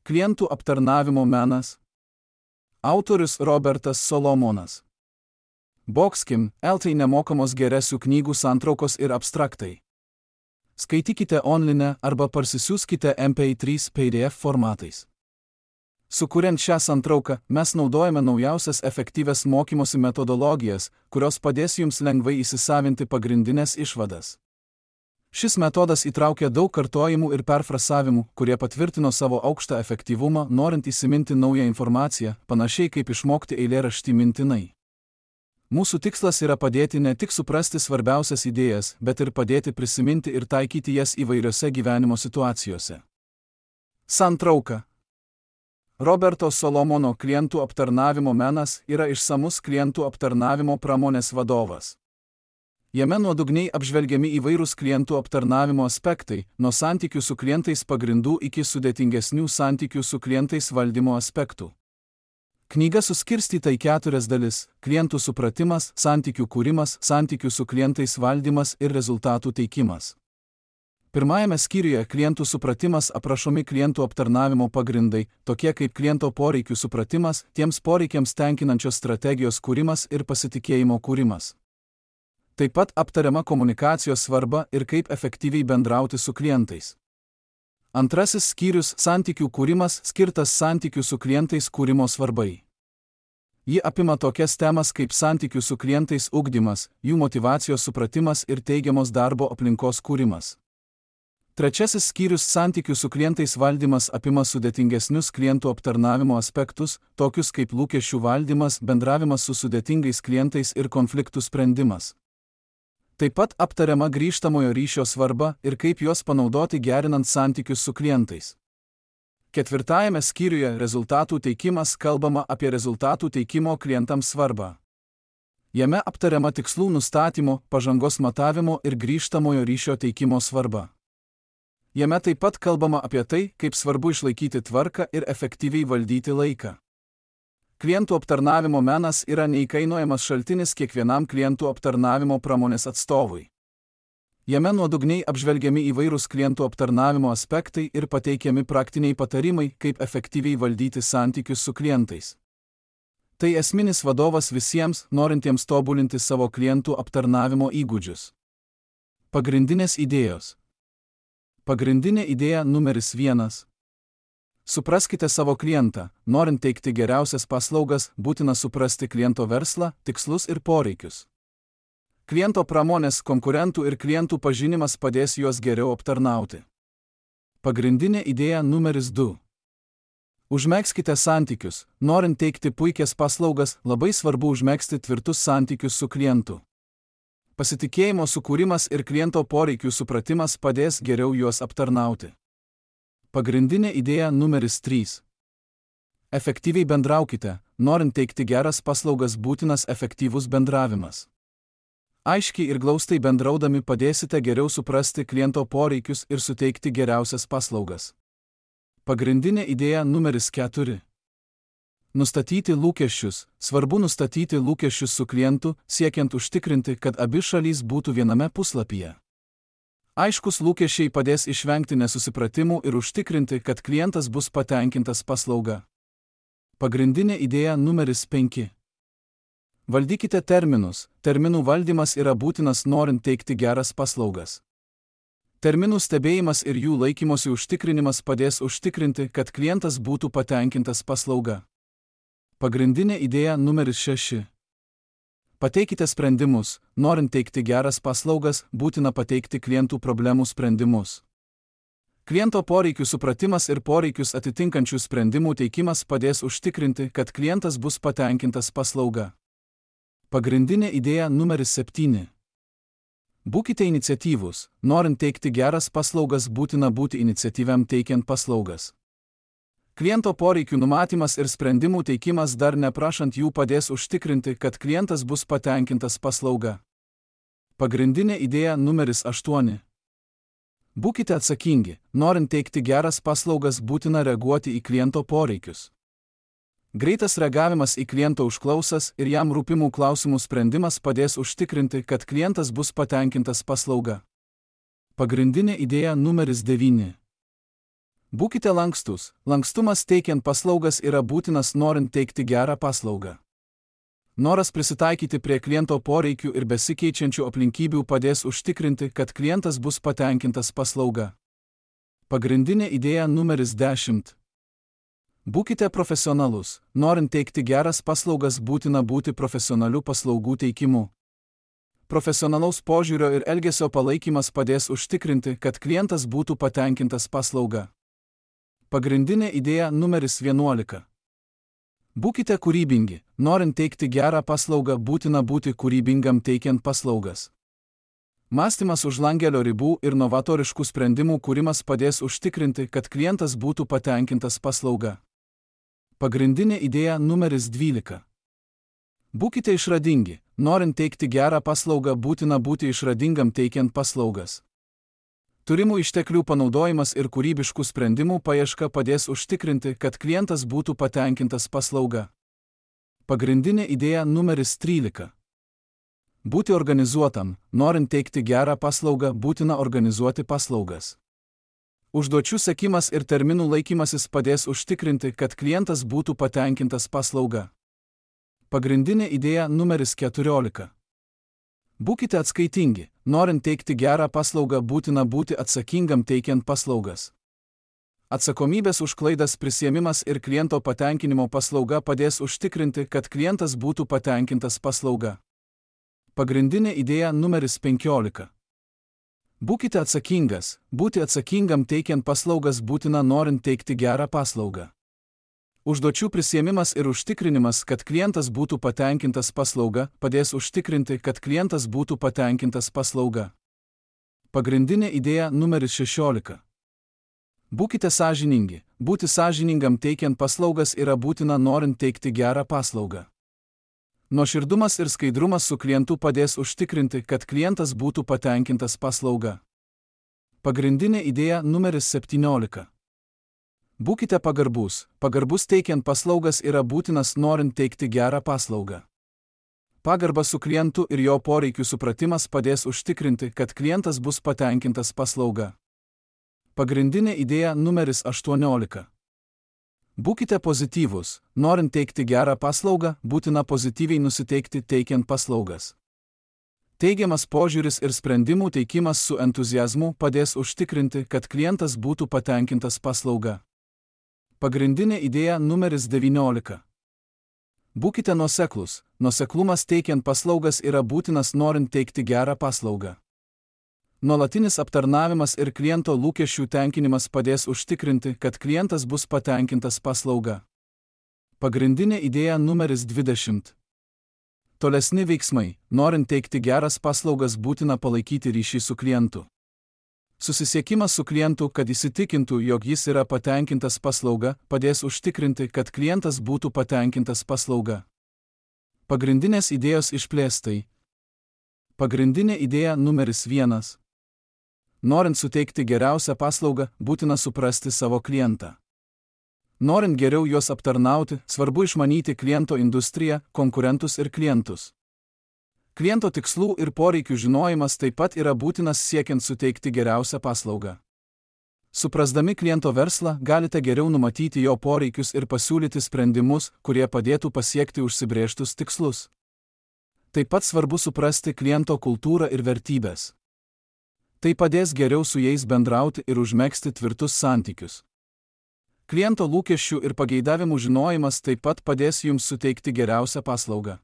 Klientų aptarnavimo menas. Autorius Robertas Solomonas. Boxkim, LT nemokamos geresių knygų santraukos ir abstraktai. Skaitykite online arba parsisiųskite MP3 PDF formatais. Sukuriant šią santrauką, mes naudojame naujausias efektyvias mokymosi metodologijas, kurios padės jums lengvai įsisavinti pagrindinės išvadas. Šis metodas įtraukia daug kartojimų ir perfrasavimų, kurie patvirtino savo aukštą efektyvumą, norint įsiminti naują informaciją, panašiai kaip išmokti eilėraštį mintinai. Mūsų tikslas yra padėti ne tik suprasti svarbiausias idėjas, bet ir padėti prisiminti ir taikyti jas įvairiose gyvenimo situacijose. Santrauka. Roberto Solomono klientų aptarnavimo menas yra išsamus klientų aptarnavimo pramonės vadovas. Jame nuodugniai apžvelgiami įvairūs klientų aptarnavimo aspektai, nuo santykių su klientais pagrindų iki sudėtingesnių santykių su klientais valdymo aspektų. Knyga suskirstyta į 4 dalis – klientų supratimas, santykių kūrimas, santykių su klientais valdymas ir rezultatų teikimas. Pirmajame skyriuje klientų supratimas aprašomi klientų aptarnavimo pagrindai, tokie kaip kliento poreikių supratimas, tiems poreikiams tenkinančios strategijos kūrimas ir pasitikėjimo kūrimas. Taip pat aptariama komunikacijos svarba ir kaip efektyviai bendrauti su klientais. Antrasis skyrius – santykių kūrimas skirtas santykių su klientais kūrimo svarbai. Ji apima tokias temas kaip santykių su klientais ugdymas, jų motyvacijos supratimas ir teigiamos darbo aplinkos kūrimas. Trečiasis skyrius – santykių su klientais valdymas apima sudėtingesnius klientų aptarnavimo aspektus, tokius kaip lūkesčių valdymas, bendravimas su sudėtingais klientais ir konfliktų sprendimas. Taip pat aptariama grįžtamojo ryšio svarba ir kaip juos panaudoti gerinant santykius su klientais. Ketvirtajame skyriuje rezultatų teikimas kalbama apie rezultatų teikimo klientams svarbą. Jame aptariama tikslų nustatymo, pažangos matavimo ir grįžtamojo ryšio teikimo svarba. Jame taip pat kalbama apie tai, kaip svarbu išlaikyti tvarką ir efektyviai valdyti laiką. Klientų aptarnavimo menas yra neįkainojamas šaltinis kiekvienam klientų aptarnavimo pramonės atstovui. Jame nuodugniai apžvelgiami įvairūs klientų aptarnavimo aspektai ir pateikiami praktiniai patarimai, kaip efektyviai valdyti santykius su klientais. Tai esminis vadovas visiems, norintiems tobulinti savo klientų aptarnavimo įgūdžius. Pagrindinės idėjos. Pagrindinė idėja numeris 1. Supraskite savo klientą. Norint teikti geriausias paslaugas, būtina suprasti kliento verslą, tikslus ir poreikius. Kliento pramonės, konkurentų ir klientų pažinimas padės juos geriau aptarnauti. Pagrindinė idėja numeris 2. Užmegzkite santykius. Norint teikti puikias paslaugas, labai svarbu užmegzti tvirtus santykius su klientu. Pasitikėjimo sukūrimas ir kliento poreikių supratimas padės geriau juos aptarnauti. Pagrindinė idėja numeris 3. Efektyviai bendraukite. Norint teikti geras paslaugas, būtinas efektyvus bendravimas. Aiškiai ir glaustai bendraudami padėsite geriau suprasti kliento poreikius ir suteikti geriausias paslaugas. Pagrindinė idėja numeris 4. Nustatyti lūkesčius. Svarbu nustatyti lūkesčius su klientu, siekiant užtikrinti, kad abi šalys būtų viename puslapyje. Aiškus lūkesčiai padės išvengti nesusipratimų ir užtikrinti, kad klientas bus patenkintas paslauga. Pagrindinė idėja numeris 5. Valdykite terminus. Terminų valdymas yra būtinas norint teikti geras paslaugas. Terminų stebėjimas ir jų laikymosi užtikrinimas padės užtikrinti, kad klientas būtų patenkintas paslauga. Pagrindinė idėja numeris 6. Pateikite sprendimus. Norint teikti geras paslaugas, būtina pateikti klientų problemų sprendimus. Kliento poreikių supratimas ir poreikius atitinkančių sprendimų teikimas padės užtikrinti, kad klientas bus patenkintas paslauga. Pagrindinė idėja numeris 7. Būkite iniciatyvūs. Norint teikti geras paslaugas, būtina būti iniciatyviam teikiant paslaugas. Kliento poreikių numatymas ir sprendimų teikimas dar neprašant jų padės užtikrinti, kad klientas bus patenkintas paslauga. Pagrindinė idėja numeris 8. Būkite atsakingi. Norint teikti geras paslaugas, būtina reaguoti į kliento poreikius. Greitas reagavimas į kliento užklausas ir jam rūpimų klausimų sprendimas padės užtikrinti, kad klientas bus patenkintas paslauga. Pagrindinė idėja numeris 9. Būkite lankstus. Lankstumas teikiant paslaugas yra būtinas norint teikti gerą paslaugą. Noras prisitaikyti prie kliento poreikių ir besikeičiančių aplinkybių padės užtikrinti, kad klientas bus patenkintas paslauga. Pagrindinė idėja numeris 10. Būkite profesionalus. Norint teikti geras paslaugas būtina būti profesionaliu paslaugų teikimu. Profesionalaus požiūrio ir elgesio palaikymas padės užtikrinti, kad klientas būtų patenkintas paslauga. Pagrindinė idėja numeris 11. Būkite kūrybingi. Norint teikti gerą paslaugą būtina būti kūrybingam teikiant paslaugas. Mąstymas už langelio ribų ir novatoriškų sprendimų kūrimas padės užtikrinti, kad klientas būtų patenkintas paslauga. Pagrindinė idėja numeris 12. Būkite išradingi. Norint teikti gerą paslaugą būtina būti išradingam teikiant paslaugas. Turimų išteklių panaudojimas ir kūrybiškų sprendimų paieška padės užtikrinti, kad klientas būtų patenkintas paslauga. Pagrindinė idėja numeris 13. Būti organizuotam. Norint teikti gerą paslaugą būtina organizuoti paslaugas. Užduočių sekimas ir terminų laikymasis padės užtikrinti, kad klientas būtų patenkintas paslauga. Pagrindinė idėja numeris 14. Būkite atskaitingi. Norint teikti gerą paslaugą būtina būti atsakingam teikiant paslaugas. Atsakomybės už klaidas prisiėmimas ir kliento patenkinimo paslauga padės užtikrinti, kad klientas būtų patenkintas paslauga. Pagrindinė idėja numeris 15. Būkite atsakingas. Būti atsakingam teikiant paslaugas būtina norint teikti gerą paslaugą. Užduočių prisiėmimas ir užtikrinimas, kad klientas būtų patenkintas paslauga, padės užtikrinti, kad klientas būtų patenkintas paslauga. Pagrindinė idėja numeris 16. Būkite sąžiningi. Būti sąžiningam teikiant paslaugas yra būtina norint teikti gerą paslaugą. Nuoširdumas ir skaidrumas su klientu padės užtikrinti, kad klientas būtų patenkintas paslauga. Pagrindinė idėja numeris 17. Būkite pagarbus. Pagarbus teikiant paslaugas yra būtinas norint teikti gerą paslaugą. Pagarba su klientu ir jo poreikių supratimas padės užtikrinti, kad klientas bus patenkintas paslauga. Pagrindinė idėja numeris 18. Būkite pozityvūs. Norint teikti gerą paslaugą, būtina pozityviai nusiteikti teikiant paslaugas. Teigiamas požiūris ir sprendimų teikimas su entuziazmu padės užtikrinti, kad klientas būtų patenkintas paslauga. Pagrindinė idėja numeris 19. Būkite nuoseklūs. Nuoseklumas teikiant paslaugas yra būtinas norint teikti gerą paslaugą. Nuolatinis aptarnavimas ir kliento lūkesčių tenkinimas padės užtikrinti, kad klientas bus patenkintas paslauga. Pagrindinė idėja numeris 20. Tolesni veiksmai. Norint teikti geras paslaugas būtina palaikyti ryšį su klientu. Susisiekimas su klientu, kad įsitikintų, jog jis yra patenkintas paslauga, padės užtikrinti, kad klientas būtų patenkintas paslauga. Pagrindinės idėjos išplėstai. Pagrindinė idėja numeris 1. Norint suteikti geriausią paslaugą, būtina suprasti savo klientą. Norint geriau juos aptarnauti, svarbu išmanyti kliento industriją, konkurentus ir klientus. Kliento tikslų ir poreikių žinojimas taip pat yra būtinas siekiant suteikti geriausią paslaugą. Suprasdami kliento verslą, galite geriau numatyti jo poreikius ir pasiūlyti sprendimus, kurie padėtų pasiekti užsibrėžtus tikslus. Taip pat svarbu suprasti kliento kultūrą ir vertybės. Tai padės geriau su jais bendrauti ir užmegzti tvirtus santykius. Kliento lūkesčių ir pageidavimų žinojimas taip pat padės jums suteikti geriausią paslaugą.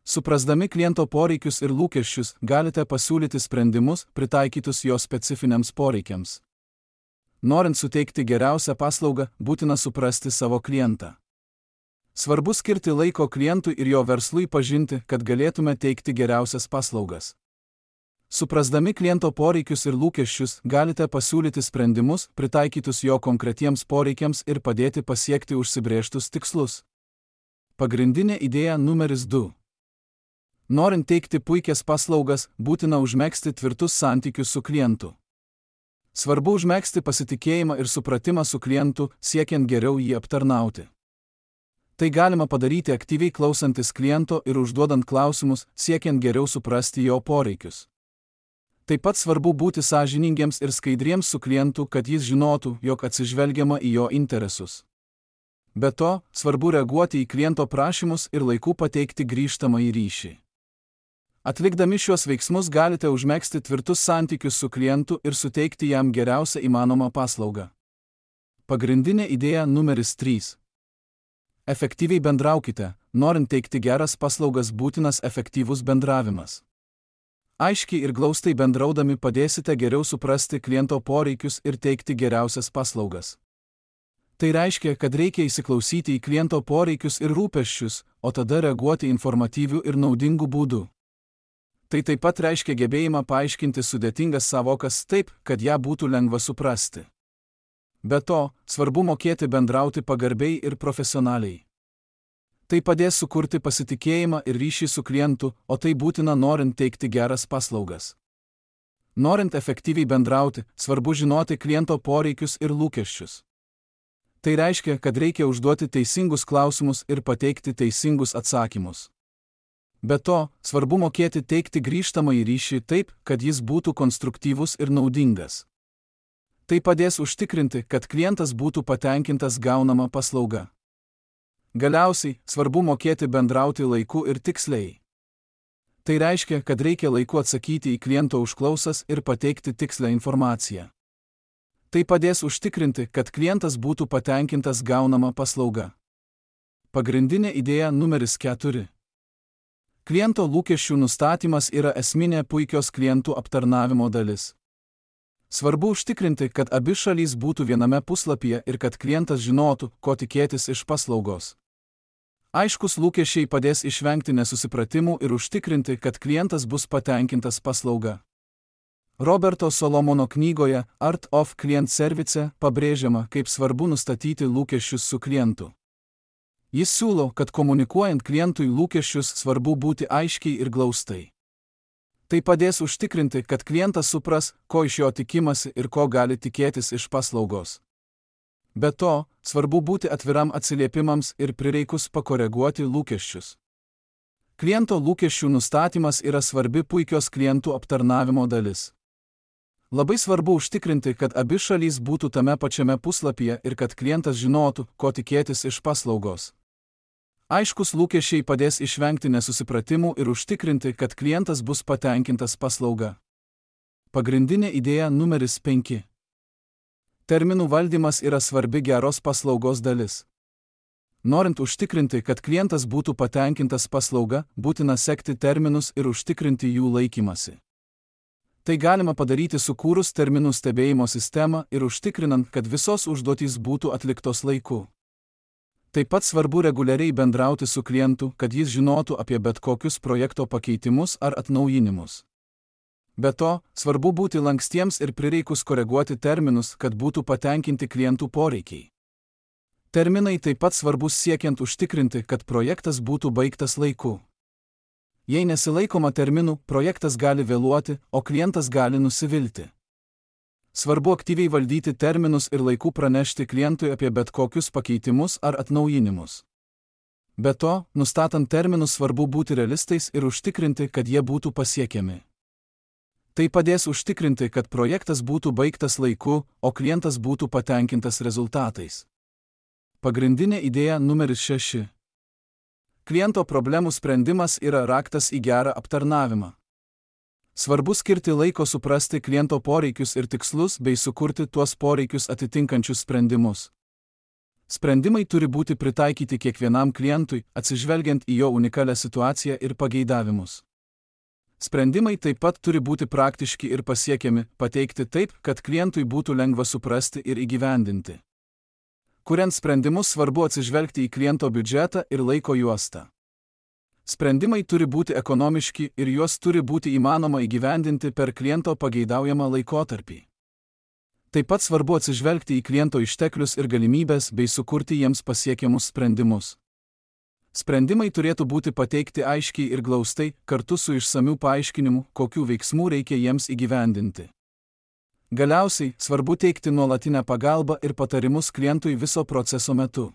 Suprasdami kliento poreikius ir lūkesčius, galite pasiūlyti sprendimus, pritaikytus jo specifiniams poreikiams. Norint suteikti geriausią paslaugą, būtina suprasti savo klientą. Svarbu skirti laiko klientui ir jo verslui pažinti, kad galėtume teikti geriausias paslaugas. Suprasdami kliento poreikius ir lūkesčius, galite pasiūlyti sprendimus, pritaikytus jo konkretiems poreikiams ir padėti pasiekti užsibrėžtus tikslus. Pagrindinė idėja numeris 2. Norint teikti puikias paslaugas, būtina užmegzti tvirtus santykius su klientu. Svarbu užmegzti pasitikėjimą ir supratimą su klientu, siekiant geriau jį aptarnauti. Tai galima padaryti aktyviai klausantis kliento ir užduodant klausimus, siekiant geriau suprasti jo poreikius. Taip pat svarbu būti sąžiningiems ir skaidriems su klientu, kad jis žinotų, jog atsižvelgiama į jo interesus. Be to, svarbu reaguoti į kliento prašymus ir laiku pateikti grįžtamąjį ryšį. Atlikdami šiuos veiksmus galite užmegzti tvirtus santykius su klientu ir suteikti jam geriausią įmanomą paslaugą. Pagrindinė idėja numeris 3. Efektyviai bendraukite, norint teikti geras paslaugas būtinas efektyvus bendravimas. Aiškiai ir glaustai bendraudami padėsite geriau suprasti kliento poreikius ir teikti geriausias paslaugas. Tai reiškia, kad reikia įsiklausyti į kliento poreikius ir rūpesčius, o tada reaguoti informatyviu ir naudingu būdu. Tai taip pat reiškia gebėjimą paaiškinti sudėtingas savokas taip, kad ją būtų lengva suprasti. Be to, svarbu mokėti bendrauti pagarbiai ir profesionaliai. Tai padės sukurti pasitikėjimą ir ryšį su klientu, o tai būtina norint teikti geras paslaugas. Norint efektyviai bendrauti, svarbu žinoti kliento poreikius ir lūkesčius. Tai reiškia, kad reikia užduoti teisingus klausimus ir pateikti teisingus atsakymus. Be to, svarbu mokėti teikti grįžtamąjį ryšį taip, kad jis būtų konstruktyvus ir naudingas. Tai padės užtikrinti, kad klientas būtų patenkintas gaunama paslauga. Galiausiai, svarbu mokėti bendrauti laiku ir tiksliai. Tai reiškia, kad reikia laiku atsakyti į kliento užklausas ir pateikti tikslę informaciją. Tai padės užtikrinti, kad klientas būtų patenkintas gaunama paslauga. Pagrindinė idėja numeris 4. Kliento lūkesčių nustatymas yra esminė puikios klientų aptarnavimo dalis. Svarbu užtikrinti, kad abi šalys būtų viename puslapyje ir kad klientas žinotų, ko tikėtis iš paslaugos. Aiškus lūkesčiai padės išvengti nesusipratimų ir užtikrinti, kad klientas bus patenkintas paslauga. Roberto Solomono knygoje Art of Client Service pabrėžiama, kaip svarbu nustatyti lūkesčius su klientu. Jis siūlo, kad komunikuojant klientui lūkesčius svarbu būti aiškiai ir glaustai. Tai padės užtikrinti, kad klientas supras, ko iš jo tikimasi ir ko gali tikėtis iš paslaugos. Be to, svarbu būti atviram atsiliepimams ir prireikus pakoreguoti lūkesčius. Kliento lūkesčių nustatymas yra svarbi puikios klientų aptarnavimo dalis. Labai svarbu užtikrinti, kad abi šalys būtų tame pačiame puslapyje ir kad klientas žinotų, ko tikėtis iš paslaugos. Aiškus lūkesčiai padės išvengti nesusipratimų ir užtikrinti, kad klientas bus patenkintas paslauga. Pagrindinė idėja numeris 5. Terminų valdymas yra svarbi geros paslaugos dalis. Norint užtikrinti, kad klientas būtų patenkintas paslauga, būtina sekti terminus ir užtikrinti jų laikymasi. Tai galima padaryti sukūrus terminų stebėjimo sistemą ir užtikrinant, kad visos užduotys būtų atliktos laiku. Taip pat svarbu reguliariai bendrauti su klientu, kad jis žinotų apie bet kokius projekto pakeitimus ar atnaujinimus. Be to, svarbu būti lankstiems ir prireikus koreguoti terminus, kad būtų patenkinti klientų poreikiai. Terminai taip pat svarbus siekiant užtikrinti, kad projektas būtų baigtas laiku. Jei nesilaikoma terminų, projektas gali vėluoti, o klientas gali nusivilti. Svarbu aktyviai valdyti terminus ir laiku pranešti klientui apie bet kokius pakeitimus ar atnaujinimus. Be to, nustatant terminus svarbu būti realistais ir užtikrinti, kad jie būtų pasiekiami. Tai padės užtikrinti, kad projektas būtų baigtas laiku, o klientas būtų patenkintas rezultatais. Pagrindinė idėja numeris 6. Kliento problemų sprendimas yra raktas į gerą aptarnavimą. Svarbu skirti laiko suprasti kliento poreikius ir tikslus bei sukurti tuos poreikius atitinkančius sprendimus. Sprendimai turi būti pritaikyti kiekvienam klientui, atsižvelgiant į jo unikalią situaciją ir pageidavimus. Sprendimai taip pat turi būti praktiški ir pasiekiami, pateikti taip, kad klientui būtų lengva suprasti ir įgyvendinti. Kuriant sprendimus svarbu atsižvelgti į kliento biudžetą ir laiko juostą. Sprendimai turi būti ekonomiški ir juos turi būti įmanoma įgyvendinti per kliento pageidaujamą laikotarpį. Taip pat svarbu atsižvelgti į kliento išteklius ir galimybes bei sukurti jiems pasiekiamus sprendimus. Sprendimai turėtų būti pateikti aiškiai ir glaustai, kartu su išsamiu paaiškinimu, kokių veiksmų reikia jiems įgyvendinti. Galiausiai, svarbu teikti nuolatinę pagalbą ir patarimus klientui viso proceso metu.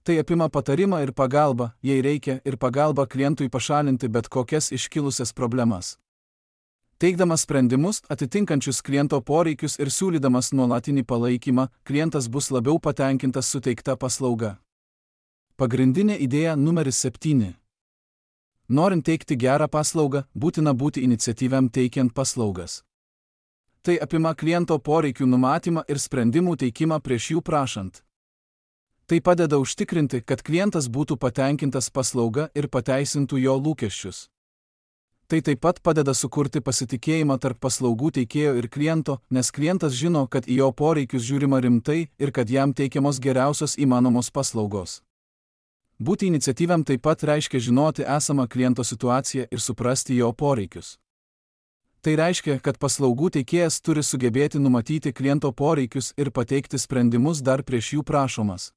Tai apima patarimą ir pagalbą, jei reikia, ir pagalbą klientui pašalinti bet kokias iškilusias problemas. Teikdamas sprendimus atitinkančius kliento poreikius ir siūlydamas nuolatinį palaikymą, klientas bus labiau patenkintas suteikta paslauga. Pagrindinė idėja numeris 7. Norint teikti gerą paslaugą, būtina būti iniciatyviam teikiant paslaugas. Tai apima kliento poreikių numatymą ir sprendimų teikimą prieš jų prašant. Tai padeda užtikrinti, kad klientas būtų patenkintas paslauga ir pateisintų jo lūkesčius. Tai taip pat padeda sukurti pasitikėjimą tarp paslaugų teikėjo ir kliento, nes klientas žino, kad į jo poreikius žiūrima rimtai ir kad jam teikiamos geriausios įmanomos paslaugos. Būti iniciatyviam taip pat reiškia žinoti esamą kliento situaciją ir suprasti jo poreikius. Tai reiškia, kad paslaugų teikėjas turi sugebėti numatyti kliento poreikius ir pateikti sprendimus dar prieš jų prašomas.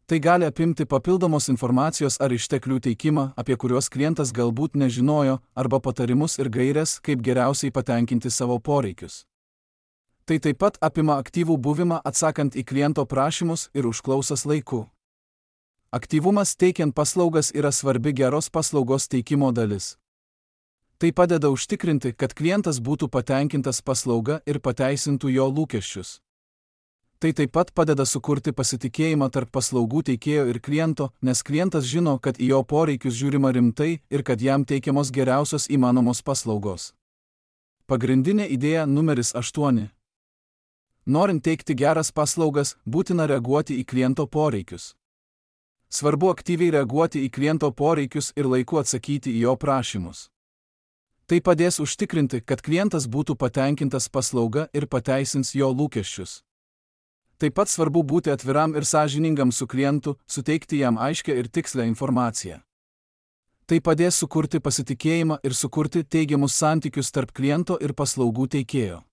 Tai gali apimti papildomos informacijos ar išteklių teikimą, apie kuriuos klientas galbūt nežinojo, arba patarimus ir gaires, kaip geriausiai patenkinti savo poreikius. Tai taip pat apima aktyvų buvimą atsakant į kliento prašymus ir užklausas laiku. Aktyvumas teikiant paslaugas yra svarbi geros paslaugos teikimo dalis. Tai padeda užtikrinti, kad klientas būtų patenkintas paslauga ir pateisintų jo lūkesčius. Tai taip pat padeda sukurti pasitikėjimą tarp paslaugų teikėjo ir kliento, nes klientas žino, kad į jo poreikius žiūrima rimtai ir kad jam teikiamos geriausios įmanomos paslaugos. Pagrindinė idėja numeris 8. Norint teikti geras paslaugas, būtina reaguoti į kliento poreikius. Svarbu aktyviai reaguoti į kliento poreikius ir laiku atsakyti į jo prašymus. Tai padės užtikrinti, kad klientas būtų patenkintas paslauga ir pateisins jo lūkesčius. Taip pat svarbu būti atviram ir sąžiningam su klientu, suteikti jam aiškią ir tikslę informaciją. Tai padės sukurti pasitikėjimą ir sukurti teigiamus santykius tarp kliento ir paslaugų teikėjo.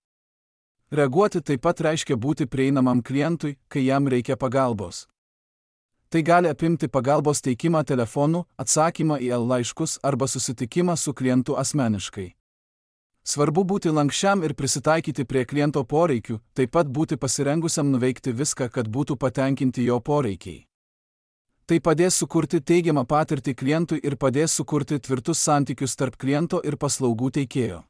Reaguoti taip pat reiškia būti prieinamam klientui, kai jam reikia pagalbos. Tai gali apimti pagalbos teikimą telefonu, atsakymą į laiškus arba susitikimą su klientu asmeniškai. Svarbu būti lankščiam ir prisitaikyti prie kliento poreikių, taip pat būti pasirengusiam nuveikti viską, kad būtų patenkinti jo poreikiai. Tai padės sukurti teigiamą patirtį klientui ir padės sukurti tvirtus santykius tarp kliento ir paslaugų teikėjo.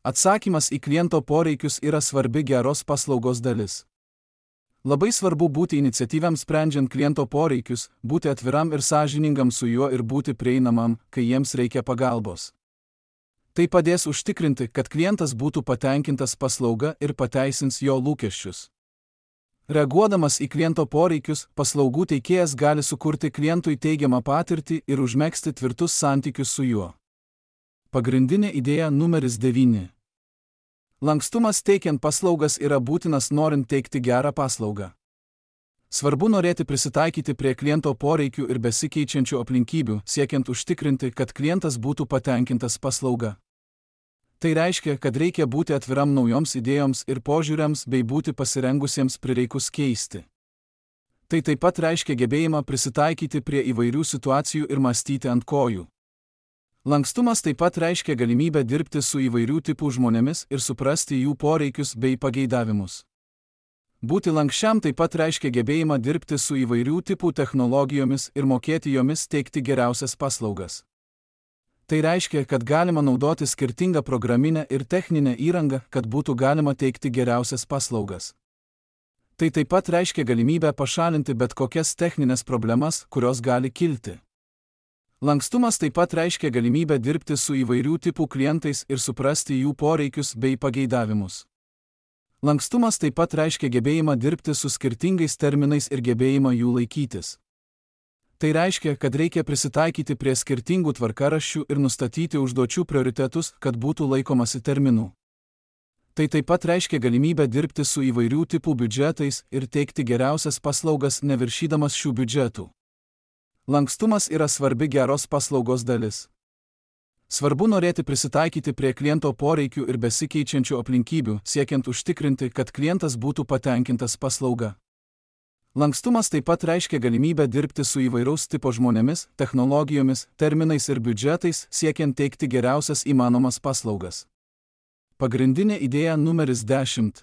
Atsakymas į kliento poreikius yra svarbi geros paslaugos dalis. Labai svarbu būti iniciatyviam sprendžiant kliento poreikius, būti atviram ir sąžiningam su juo ir būti prieinamam, kai jiems reikia pagalbos. Tai padės užtikrinti, kad klientas būtų patenkintas paslauga ir pateisins jo lūkesčius. Reaguodamas į kliento poreikius, paslaugų teikėjas gali sukurti klientui teigiamą patirtį ir užmegzti tvirtus santykius su juo. Pagrindinė idėja numeris 9. Lankstumas teikiant paslaugas yra būtinas norint teikti gerą paslaugą. Svarbu norėti prisitaikyti prie kliento poreikių ir besikeičiančių aplinkybių, siekiant užtikrinti, kad klientas būtų patenkintas paslauga. Tai reiškia, kad reikia būti atviram naujoms idėjoms ir požiūriams bei būti pasirengusiems prireikus keisti. Tai taip pat reiškia gebėjimą prisitaikyti prie įvairių situacijų ir mąstyti ant kojų. Lankstumas taip pat reiškia galimybę dirbti su įvairių tipų žmonėmis ir suprasti jų poreikius bei pageidavimus. Būti lankščiam taip pat reiškia gebėjimą dirbti su įvairių tipų technologijomis ir mokėti jomis teikti geriausias paslaugas. Tai reiškia, kad galima naudoti skirtingą programinę ir techninę įrangą, kad būtų galima teikti geriausias paslaugas. Tai taip pat reiškia galimybę pašalinti bet kokias techninės problemas, kurios gali kilti. Lankstumas taip pat reiškia galimybę dirbti su įvairių tipų klientais ir suprasti jų poreikius bei pageidavimus. Lankstumas taip pat reiškia gebėjimą dirbti su skirtingais terminais ir gebėjimą jų laikytis. Tai reiškia, kad reikia prisitaikyti prie skirtingų tvarkaraščių ir nustatyti užduočių prioritetus, kad būtų laikomasi terminų. Tai taip pat reiškia galimybę dirbti su įvairių tipų biudžetais ir teikti geriausias paslaugas neviršydamas šių biudžetų. Lankstumas yra svarbi geros paslaugos dalis. Svarbu norėti prisitaikyti prie kliento poreikių ir besikeičiančių aplinkybių, siekiant užtikrinti, kad klientas būtų patenkintas paslauga. Lankstumas taip pat reiškia galimybę dirbti su įvairaus tipo žmonėmis, technologijomis, terminais ir biudžetais, siekiant teikti geriausias įmanomas paslaugas. Pagrindinė idėja numeris 10.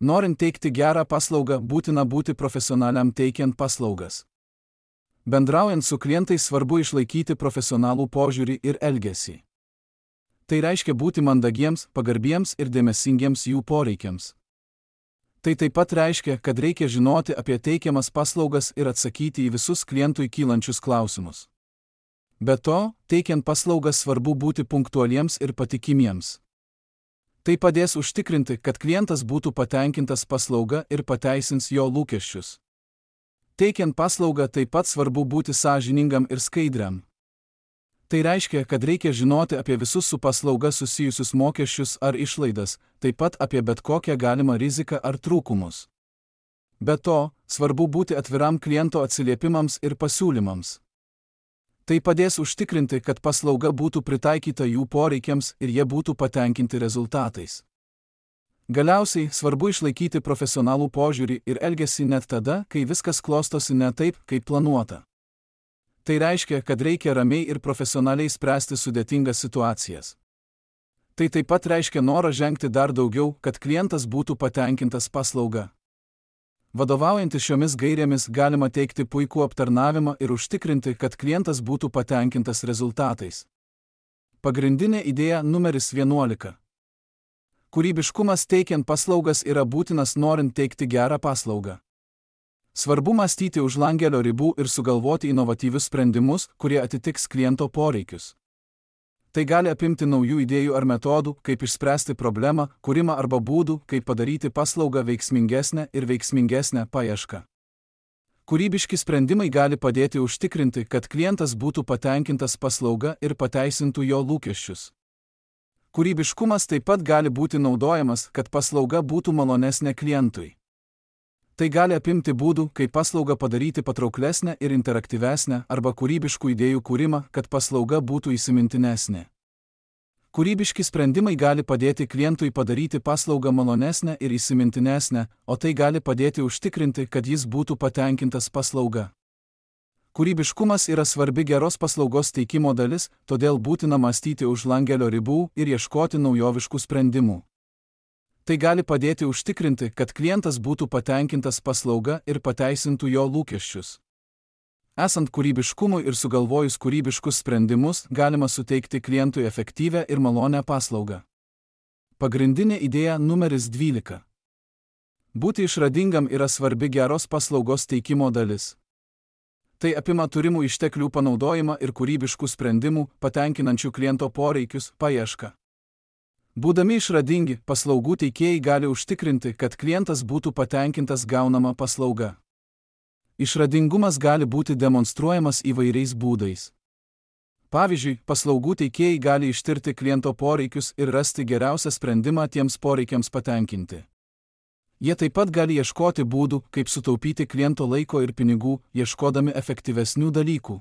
Norint teikti gerą paslaugą, būtina būti profesionaliam teikiant paslaugas. Bendraujant su klientais svarbu išlaikyti profesionalų požiūrį ir elgesį. Tai reiškia būti mandagiems, pagarbiems ir dėmesingiems jų poreikiams. Tai taip pat reiškia, kad reikia žinoti apie teikiamas paslaugas ir atsakyti į visus klientui kylančius klausimus. Be to, teikiant paslaugas svarbu būti punktualiems ir patikimiems. Tai padės užtikrinti, kad klientas būtų patenkintas paslauga ir pateisins jo lūkesčius. Teikiant paslaugą taip pat svarbu būti sąžiningam ir skaidriam. Tai reiškia, kad reikia žinoti apie visus su paslauga susijusius mokesčius ar išlaidas, taip pat apie bet kokią galimą riziką ar trūkumus. Be to, svarbu būti atviram kliento atsiliepimams ir pasiūlymams. Tai padės užtikrinti, kad paslauga būtų pritaikyta jų poreikiams ir jie būtų patenkinti rezultatais. Galiausiai, svarbu išlaikyti profesionalų požiūrį ir elgesį net tada, kai viskas klostosi ne taip, kaip planuota. Tai reiškia, kad reikia ramiai ir profesionaliai spręsti sudėtingas situacijas. Tai taip pat reiškia norą žengti dar daugiau, kad klientas būtų patenkintas paslauga. Vadovaujantis šiomis gairėmis galima teikti puikų aptarnavimą ir užtikrinti, kad klientas būtų patenkintas rezultatais. Pagrindinė idėja numeris 11. Kūrybiškumas teikiant paslaugas yra būtinas norint teikti gerą paslaugą. Svarbu mąstyti už langelio ribų ir sugalvoti inovatyvius sprendimus, kurie atitiks kliento poreikius. Tai gali apimti naujų idėjų ar metodų, kaip išspręsti problemą, kūrimą arba būdų, kaip padaryti paslaugą veiksmingesnę ir veiksmingesnę paiešką. Kūrybiški sprendimai gali padėti užtikrinti, kad klientas būtų patenkintas paslauga ir pateisintų jo lūkesčius. Kūrybiškumas taip pat gali būti naudojamas, kad paslauga būtų malonesnė klientui. Tai gali apimti būdų, kaip paslaugą padaryti patrauklesnę ir interaktyvesnę arba kūrybiškų idėjų kūrimą, kad paslauga būtų įsimintinesnė. Kūrybiški sprendimai gali padėti klientui padaryti paslaugą malonesnę ir įsimintinesnę, o tai gali padėti užtikrinti, kad jis būtų patenkintas paslauga. Kūrybiškumas yra svarbi geros paslaugos teikimo dalis, todėl būtina mąstyti už langelio ribų ir ieškoti naujoviškų sprendimų. Tai gali padėti užtikrinti, kad klientas būtų patenkintas paslauga ir pateisintų jo lūkesčius. Esant kūrybiškumui ir sugalvojus kūrybiškus sprendimus, galima suteikti klientui efektyvią ir malonią paslaugą. Pagrindinė idėja numeris 12. Būti išradingam yra svarbi geros paslaugos teikimo dalis. Tai apima turimų išteklių panaudojimą ir kūrybiškų sprendimų, patenkinančių kliento poreikius, paiešką. Būdami išradingi, paslaugų teikėjai gali užtikrinti, kad klientas būtų patenkintas gaunama paslauga. Išradingumas gali būti demonstruojamas įvairiais būdais. Pavyzdžiui, paslaugų teikėjai gali ištirti kliento poreikius ir rasti geriausią sprendimą tiems poreikiams patenkinti. Jie taip pat gali ieškoti būdų, kaip sutaupyti kliento laiko ir pinigų, ieškodami efektyvesnių dalykų.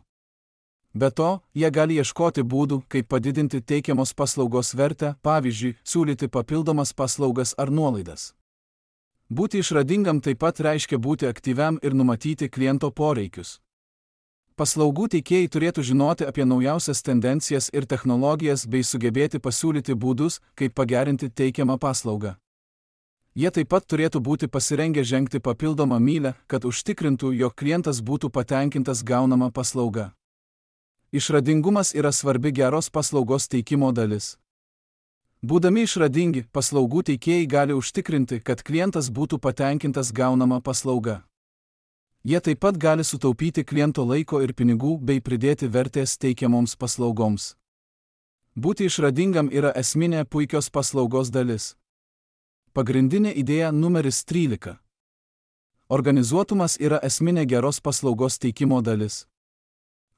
Be to, jie gali ieškoti būdų, kaip padidinti teikiamos paslaugos vertę, pavyzdžiui, siūlyti papildomas paslaugas ar nuolaidas. Būti išradingam taip pat reiškia būti aktyviam ir numatyti kliento poreikius. Paslaugų teikėjai turėtų žinoti apie naujausias tendencijas ir technologijas bei sugebėti pasiūlyti būdus, kaip pagerinti teikiamą paslaugą. Jie taip pat turėtų būti pasirengę žengti papildomą mylią, kad užtikrintų, jog klientas būtų patenkintas gaunama paslauga. Išradingumas yra svarbi geros paslaugos teikimo dalis. Būdami išradingi, paslaugų teikėjai gali užtikrinti, kad klientas būtų patenkintas gaunama paslauga. Jie taip pat gali sutaupyti kliento laiko ir pinigų bei pridėti vertės teikiamoms paslaugoms. Būti išradingam yra esminė puikios paslaugos dalis. Pagrindinė idėja numeris 13. Organizuotumas yra esminė geros paslaugos teikimo dalis.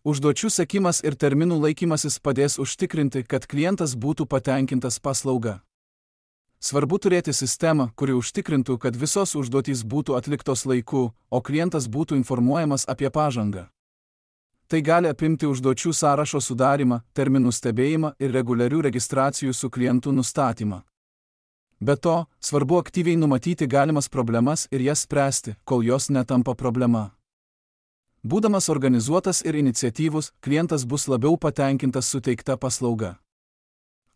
Užduočių sekimas ir terminų laikymasis padės užtikrinti, kad klientas būtų patenkintas paslauga. Svarbu turėti sistemą, kuri užtikrintų, kad visos užduotys būtų atliktos laiku, o klientas būtų informuojamas apie pažangą. Tai gali apimti užduočių sąrašo sudarymą, terminų stebėjimą ir reguliarių registracijų su klientu nustatymą. Be to, svarbu aktyviai numatyti galimas problemas ir jas spręsti, kol jos netampa problema. Būdamas organizuotas ir iniciatyvus, klientas bus labiau patenkintas suteikta paslauga.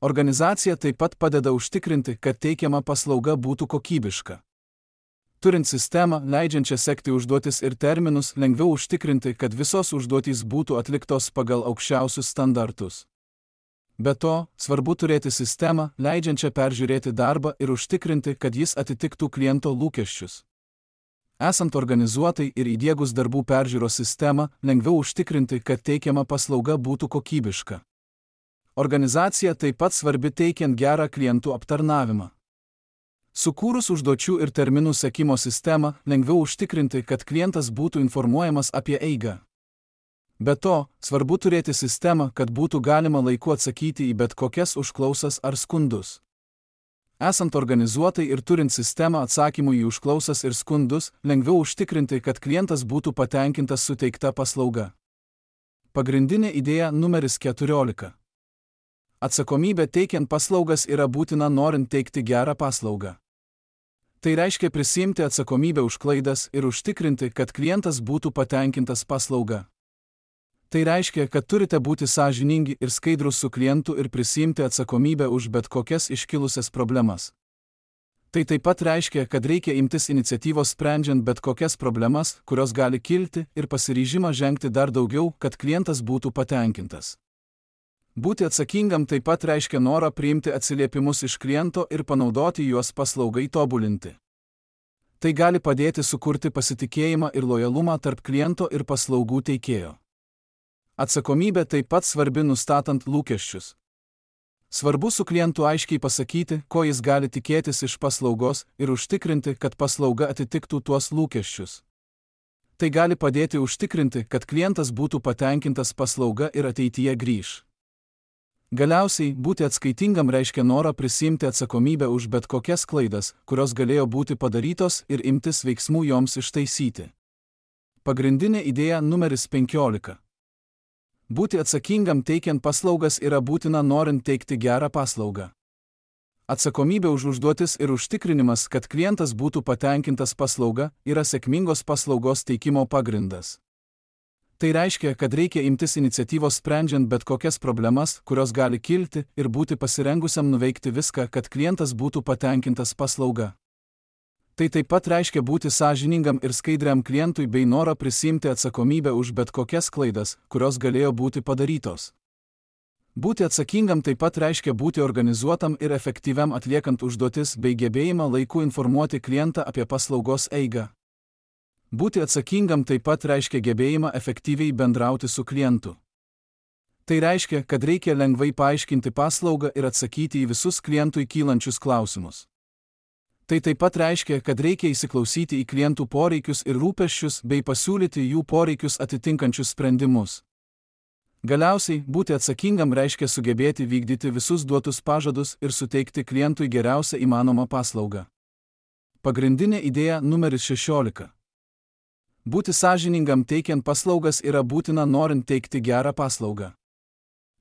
Organizacija taip pat padeda užtikrinti, kad teikiama paslauga būtų kokybiška. Turint sistemą, leidžiančią sekti užduotis ir terminus, lengviau užtikrinti, kad visos užduotys būtų atliktos pagal aukščiausius standartus. Be to, svarbu turėti sistemą, leidžiančią peržiūrėti darbą ir užtikrinti, kad jis atitiktų kliento lūkesčius. Esant organizuotai ir įdiegus darbų peržiūros sistemą, lengviau užtikrinti, kad teikiama paslauga būtų kokybiška. Organizacija taip pat svarbi teikiant gerą klientų aptarnavimą. Sukūrus užduočių ir terminų sekimo sistemą, lengviau užtikrinti, kad klientas būtų informuojamas apie eigą. Be to, svarbu turėti sistemą, kad būtų galima laiku atsakyti į bet kokias užklausas ar skundus. Esant organizuotai ir turint sistemą atsakymų į užklausas ir skundus, lengviau užtikrinti, kad klientas būtų patenkintas suteikta paslauga. Pagrindinė idėja numeris 14. Atsakomybė teikiant paslaugas yra būtina norint teikti gerą paslaugą. Tai reiškia prisiimti atsakomybę už klaidas ir užtikrinti, kad klientas būtų patenkintas paslauga. Tai reiškia, kad turite būti sąžiningi ir skaidrūs su klientu ir prisiimti atsakomybę už bet kokias iškilusias problemas. Tai taip pat reiškia, kad reikia imtis iniciatyvos sprendžiant bet kokias problemas, kurios gali kilti, ir pasiryžimą žengti dar daugiau, kad klientas būtų patenkintas. Būti atsakingam taip pat reiškia norą priimti atsiliepimus iš kliento ir panaudoti juos paslaugai tobulinti. Tai gali padėti sukurti pasitikėjimą ir lojalumą tarp kliento ir paslaugų teikėjo. Atsakomybė taip pat svarbi nustatant lūkesčius. Svarbu su klientu aiškiai pasakyti, ko jis gali tikėtis iš paslaugos ir užtikrinti, kad paslauga atitiktų tuos lūkesčius. Tai gali padėti užtikrinti, kad klientas būtų patenkintas paslauga ir ateityje grįš. Galiausiai, būti atskaitingam reiškia norą prisiimti atsakomybę už bet kokias klaidas, kurios galėjo būti padarytos ir imtis veiksmų joms ištaisyti. Pagrindinė idėja numeris 15. Būti atsakingam teikiant paslaugas yra būtina norint teikti gerą paslaugą. Atsakomybė už užduotis ir užtikrinimas, kad klientas būtų patenkintas paslauga, yra sėkmingos paslaugos teikimo pagrindas. Tai reiškia, kad reikia imtis iniciatyvos sprendžiant bet kokias problemas, kurios gali kilti, ir būti pasirengusiam nuveikti viską, kad klientas būtų patenkintas paslauga. Tai taip pat reiškia būti sąžiningam ir skaidriam klientui bei norą prisiimti atsakomybę už bet kokias klaidas, kurios galėjo būti padarytos. Būti atsakingam taip pat reiškia būti organizuotam ir efektyviam atliekant užduotis bei gebėjimą laiku informuoti klientą apie paslaugos eigą. Būti atsakingam taip pat reiškia gebėjimą efektyviai bendrauti su klientu. Tai reiškia, kad reikia lengvai paaiškinti paslaugą ir atsakyti į visus klientui kylančius klausimus. Tai taip pat reiškia, kad reikia įsiklausyti į klientų poreikius ir rūpesčius bei pasiūlyti jų poreikius atitinkančius sprendimus. Galiausiai, būti atsakingam reiškia sugebėti vykdyti visus duotus pažadus ir suteikti klientui geriausią įmanomą paslaugą. Pagrindinė idėja numeris 16. Būti sąžiningam teikiant paslaugas yra būtina norint teikti gerą paslaugą.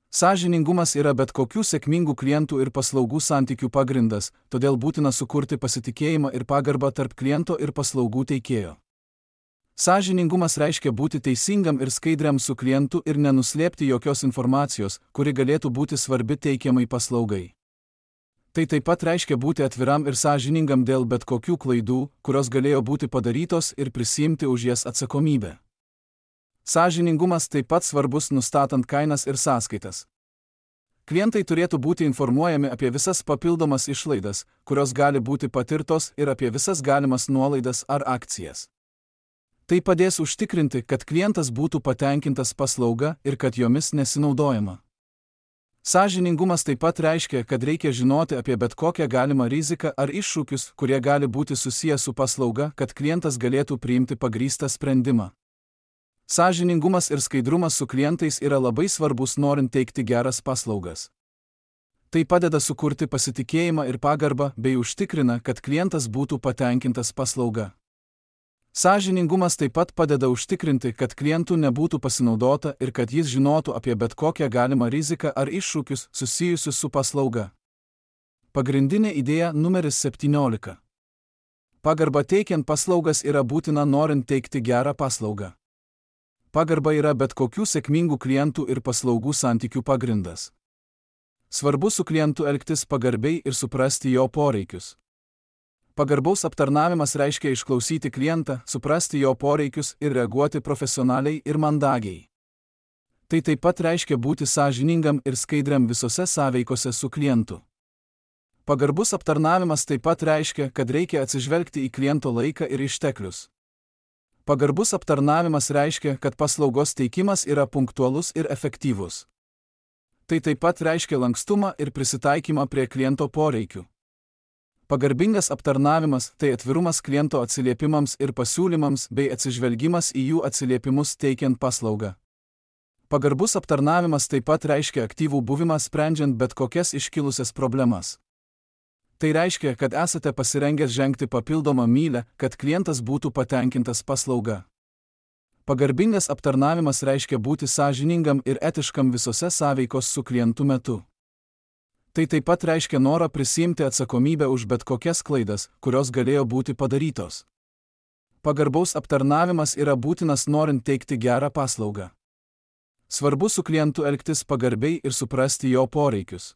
Sąžiningumas yra bet kokių sėkmingų klientų ir paslaugų santykių pagrindas, todėl būtina sukurti pasitikėjimą ir pagarbą tarp kliento ir paslaugų teikėjo. Sąžiningumas reiškia būti teisingam ir skaidriam su klientu ir nenuslėpti jokios informacijos, kuri galėtų būti svarbi teikiamai paslaugai. Tai taip pat reiškia būti atviram ir sąžiningam dėl bet kokių klaidų, kurios galėjo būti padarytos ir prisiimti už jas atsakomybę. Sąžiningumas taip pat svarbus nustatant kainas ir sąskaitas. Klientai turėtų būti informuojami apie visas papildomas išlaidas, kurios gali būti patirtos ir apie visas galimas nuolaidas ar akcijas. Tai padės užtikrinti, kad klientas būtų patenkintas paslauga ir kad jomis nesinaudojama. Sąžiningumas taip pat reiškia, kad reikia žinoti apie bet kokią galimą riziką ar iššūkius, kurie gali būti susiję su paslauga, kad klientas galėtų priimti pagrįstą sprendimą. Sąžiningumas ir skaidrumas su klientais yra labai svarbus norint teikti geras paslaugas. Tai padeda sukurti pasitikėjimą ir pagarbą bei užtikrina, kad klientas būtų patenkintas paslauga. Sąžiningumas taip pat padeda užtikrinti, kad klientų nebūtų pasinaudota ir kad jis žinotų apie bet kokią galimą riziką ar iššūkius susijusius su paslauga. Pagrindinė idėja numeris 17. Pagarba teikiant paslaugas yra būtina norint teikti gerą paslaugą. Pagarba yra bet kokių sėkmingų klientų ir paslaugų santykių pagrindas. Svarbu su klientu elgtis pagarbiai ir suprasti jo poreikius. Pagarbaus aptarnavimas reiškia išklausyti klientą, suprasti jo poreikius ir reaguoti profesionaliai ir mandagiai. Tai taip pat reiškia būti sąžiningam ir skaidriam visose sąveikose su klientu. Pagarbus aptarnavimas taip pat reiškia, kad reikia atsižvelgti į kliento laiką ir išteklius. Pagarbus aptarnavimas reiškia, kad paslaugos teikimas yra punktualus ir efektyvus. Tai taip pat reiškia lankstumą ir prisitaikymą prie kliento poreikių. Pagarbingas aptarnavimas – tai atvirumas kliento atsiliepimams ir pasiūlymams bei atsižvelgimas į jų atsiliepimus teikiant paslaugą. Pagarbus aptarnavimas taip pat reiškia aktyvų buvimą sprendžiant bet kokias iškilusias problemas. Tai reiškia, kad esate pasirengęs žengti papildomą mylią, kad klientas būtų patenkintas paslauga. Pagarbingas aptarnavimas reiškia būti sąžiningam ir etiškam visose sąveikos su klientu metu. Tai taip pat reiškia norą prisiimti atsakomybę už bet kokias klaidas, kurios galėjo būti padarytos. Pagarbaus aptarnavimas yra būtinas norint teikti gerą paslaugą. Svarbu su klientu elgtis pagarbiai ir suprasti jo poreikius.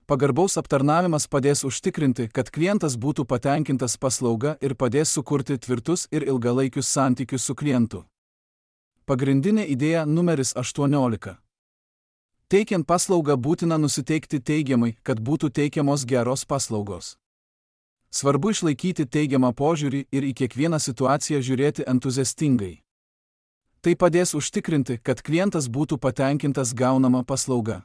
Pagarbaus aptarnavimas padės užtikrinti, kad klientas būtų patenkintas paslauga ir padės sukurti tvirtus ir ilgalaikius santykius su klientu. Pagrindinė idėja numeris 18. Teikiant paslaugą būtina nusiteikti teigiamai, kad būtų teikiamos geros paslaugos. Svarbu išlaikyti teigiamą požiūrį ir į kiekvieną situaciją žiūrėti entuziastingai. Tai padės užtikrinti, kad klientas būtų patenkintas gaunama paslauga.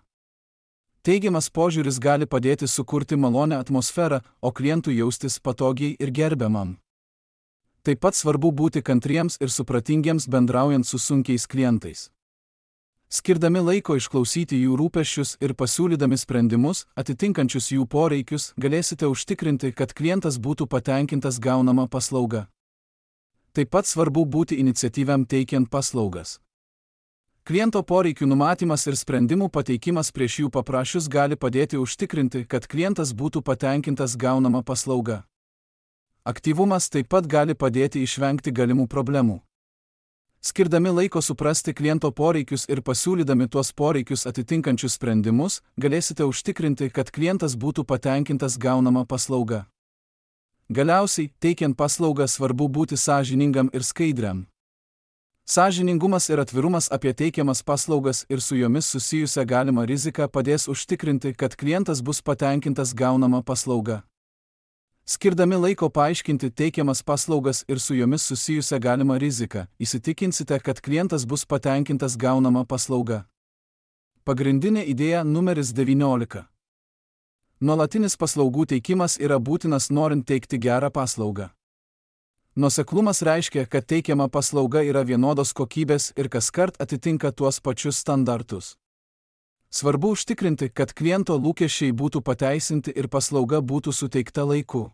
Teigiamas požiūris gali padėti sukurti malonią atmosferą, o klientui jaustis patogiai ir gerbiamam. Taip pat svarbu būti kantriems ir supratingiems bendraujant su sunkiais klientais. Skirdami laiko išklausyti jų rūpesčius ir pasiūlydami sprendimus, atitinkančius jų poreikius, galėsite užtikrinti, kad klientas būtų patenkintas gaunama paslauga. Taip pat svarbu būti iniciatyviam teikiant paslaugas. Kliento poreikių numatymas ir sprendimų pateikimas prieš jų paprašius gali padėti užtikrinti, kad klientas būtų patenkintas gaunama paslauga. Aktyvumas taip pat gali padėti išvengti galimų problemų. Skirdami laiko suprasti kliento poreikius ir pasiūlydami tuos poreikius atitinkančius sprendimus, galėsite užtikrinti, kad klientas būtų patenkintas gaunama paslauga. Galiausiai, teikiant paslaugą svarbu būti sąžiningam ir skaidriam. Sąžiningumas ir atvirumas apie teikiamas paslaugas ir su jomis susijusią galimą riziką padės užtikrinti, kad klientas bus patenkintas gaunama paslauga. Skirdami laiko paaiškinti teikiamas paslaugas ir su jomis susijusią galimą riziką, įsitikinsite, kad klientas bus patenkintas gaunama paslauga. Pagrindinė idėja numeris 19. Nuolatinis paslaugų teikimas yra būtinas norint teikti gerą paslaugą. Nuoseklumas reiškia, kad teikiama paslauga yra vienodos kokybės ir kaskart atitinka tuos pačius standartus. Svarbu užtikrinti, kad kliento lūkesčiai būtų pateisinti ir paslauga būtų suteikta laiku.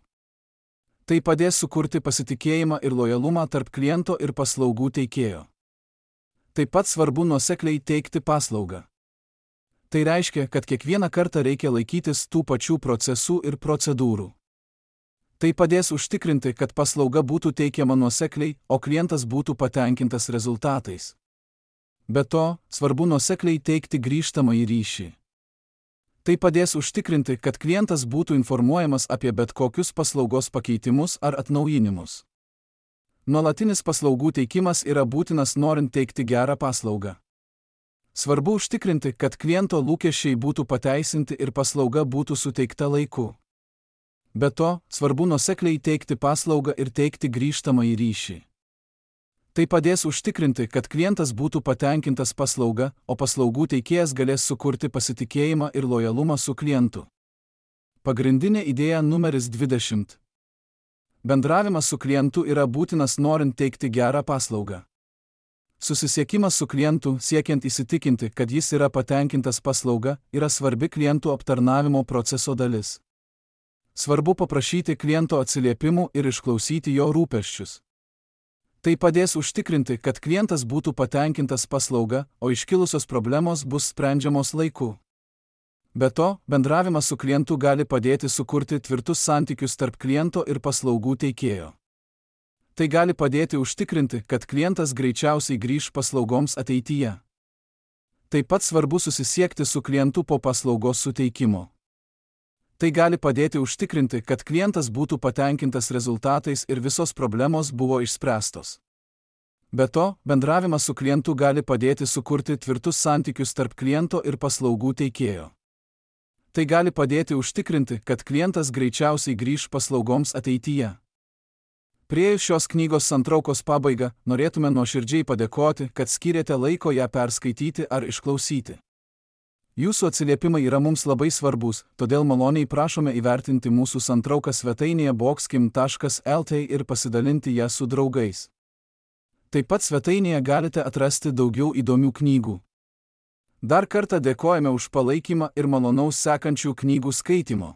Tai padės sukurti pasitikėjimą ir lojalumą tarp kliento ir paslaugų teikėjo. Taip pat svarbu nuosekliai teikti paslaugą. Tai reiškia, kad kiekvieną kartą reikia laikytis tų pačių procesų ir procedūrų. Tai padės užtikrinti, kad paslauga būtų teikiama nuosekliai, o klientas būtų patenkintas rezultatais. Be to, svarbu nuosekliai teikti grįžtamąjį ryšį. Tai padės užtikrinti, kad klientas būtų informuojamas apie bet kokius paslaugos pakeitimus ar atnaujinimus. Nuolatinis paslaugų teikimas yra būtinas norint teikti gerą paslaugą. Svarbu užtikrinti, kad kliento lūkesčiai būtų pateisinti ir paslauga būtų suteikta laiku. Be to, svarbu nuosekliai teikti paslaugą ir teikti grįžtamąjį ryšį. Tai padės užtikrinti, kad klientas būtų patenkintas paslauga, o paslaugų teikėjas galės sukurti pasitikėjimą ir lojalumą su klientu. Pagrindinė idėja numeris 20. Bendravimas su klientu yra būtinas norint teikti gerą paslaugą. Susisiekimas su klientu, siekiant įsitikinti, kad jis yra patenkintas paslauga, yra svarbi klientų aptarnavimo proceso dalis. Svarbu paprašyti kliento atsiliepimų ir išklausyti jo rūpesčius. Tai padės užtikrinti, kad klientas būtų patenkintas paslauga, o iškilusios problemos bus sprendžiamos laiku. Be to, bendravimas su klientu gali padėti sukurti tvirtus santykius tarp kliento ir paslaugų teikėjo. Tai gali padėti užtikrinti, kad klientas greičiausiai grįš paslaugoms ateityje. Taip pat svarbu susisiekti su klientu po paslaugos suteikimo. Tai gali padėti užtikrinti, kad klientas būtų patenkintas rezultatais ir visos problemos buvo išspręstos. Be to, bendravimas su klientu gali padėti sukurti tvirtus santykius tarp kliento ir paslaugų teikėjo. Tai gali padėti užtikrinti, kad klientas greičiausiai grįš paslaugoms ateityje. Priėjus šios knygos santraukos pabaigą, norėtume nuoširdžiai padėkoti, kad skyrėte laiko ją perskaityti ar išklausyti. Jūsų atsiliepimai yra mums labai svarbus, todėl maloniai prašome įvertinti mūsų santrauką svetainėje boxkim.lt ir pasidalinti ją su draugais. Taip pat svetainėje galite atrasti daugiau įdomių knygų. Dar kartą dėkojame už palaikymą ir malonaus sekančių knygų skaitimo.